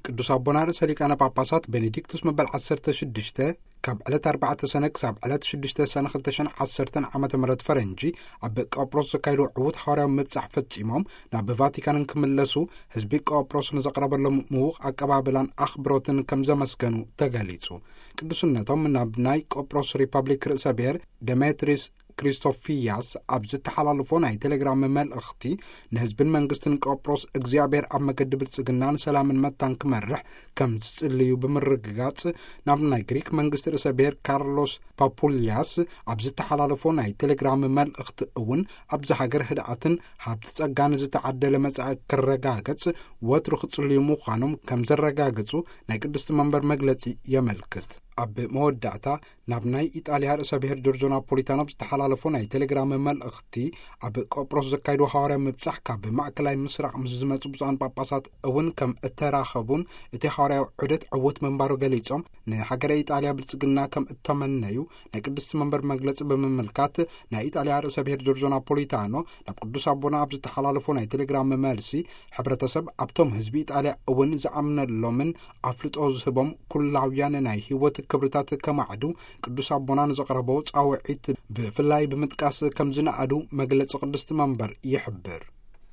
ቅዱስ ኣቦና ርእሰ ሊቃነ ጳጳሳት ቤኔዲክቱስ መበል ዓሰርተ ሽዱሽተ ካብ ዕለት ኣርባዕተ ሰነ ክሳብ ዕለት ሽዱሽተ ሰነ ክልተ ሽሕን ዓሰርተን ዓመተ ምህረት ፈረንጂ ኣብ ቆጵሮስ ዘካየድዎ ዕዉት ሓዋርያዊ ምብጻሕ ፈጺሞም ናብ ቫቲካን እንክምለሱ፣ ህዝቢ ቆጵሮስ ንዘቕረበሎም ምዉቕ ኣቀባብላን ኣኽብሮትን ከም ዘመስገኑ ተገሊጹ። ቅዱስነቶም ናብ ናይ ቆጵሮስ ሪፐብሊክ ርእሰ ብሔር ደሜትሪስ ክሪስቶፊያስ ኣብ ዝተሓላለፎ ናይ ቴሌግራም መልእኽቲ፣ ንህዝብን መንግስትን ቆጵሮስ እግዚኣብሔር ኣብ መገዲ ብልጽግናን ሰላምን መታን ክመርሕ ከም ዝጽልዩ ብምርግጋጽ፣ ናብ ናይ ግሪክ መንግስቲ ርእሰ ብሔር ካርሎስ ፓፑልያስ ኣብ ዝተሓላለፎ ናይ ቴሌግራም መልእኽቲ እውን፣ ኣብዚ ሃገር ህድኣትን ሃብቲ ጸጋን ዝተዓደለ መጻኢ ክረጋገጽ ወትሩ ክጽልዩ ምዃኖም ከም ዘረጋገጹ ናይ ቅድስቲ መንበር መግለጺ የመልክት። ኣብ መወዳእታ፣ ናብ ናይ ኢጣልያ ርእሰ ብሔር ጆርጆ ናፖሊታኖ ዝተሓላለፎ ናይ ቴሌግራም መልእኽቲ፣ ኣብ ቆጵሮስ ዘካየድዎ ሃዋርያዊ ምብጻሕ ካብ ማእከላይ ምስራቕ ምስ ዝመጹ ብፁዓን ጳጳሳት እውን ከም እተራኸቡን እቲ ሃዋርያዊ ዑደት ዕዉት ምንባሩ ገሊጾም፣ ንሃገረ ኢጣልያ ብልጽግና ከም እተመነዩ ናይ ቅድስቲ መንበር መግለጺ ብምምልካት፣ ናይ ኢጣልያ ርእሰ ብሔር ጆርጆ ናፖሊታኖ ናብ ቅዱስ ኣቦና ኣብ ዝተሓላለፎ ናይ ቴሌግራም መልሲ፣ ሕብረተሰብ ኣብቶም ህዝቢ ኢጣልያ እውን ዝኣምነሎምን ኣፍልጦ ዝህቦም ኩላውያን ናይ ህይወት ክብርታት ከማዕዱ ቅዱስ ኣቦና ንዘቕረቦ ጻውዒት ብፍላይ ብምጥቃስ ከም ዝነኣዱ መግለጺ ቅድስቲ መንበር ይሕብር።